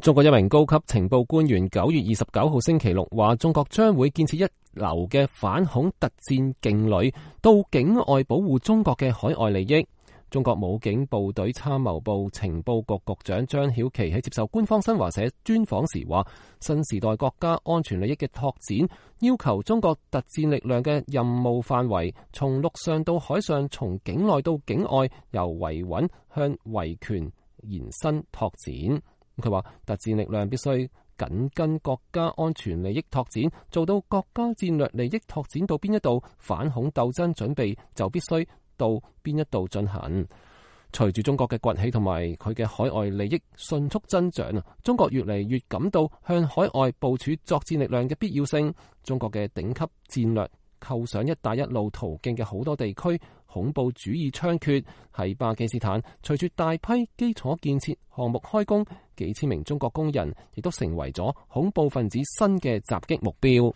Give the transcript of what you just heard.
中國一名高級情報官員9月29號星期六話，中國將會建設一流嘅反恐特戰勁旅到境外保護中國嘅海外利益。中國武警部隊參謀部情報局局長張曉琪喺接受官方新華社專訪時話，新時代國家安全利益嘅拓展要求中國特戰力量嘅任務範圍從陸上到海上，從境內到境外，由維穩向維權延伸拓展。佢話特戰力量必須緊跟國家安全利益拓展，做到國家戰略利益拓展到邊一度，反恐鬥爭準備就必須到邊一度進行。隨住中國嘅崛起同埋佢嘅海外利益迅速增長啊，中國越嚟越感到向海外部署作戰力量嘅必要性。中國嘅頂級戰略構想一帶一路途徑嘅好多地區恐怖主義猖獗，喺巴基斯坦隨住大批基礎建設項目開工，幾千名中國工人亦都成為咗恐怖分子新嘅襲擊目標。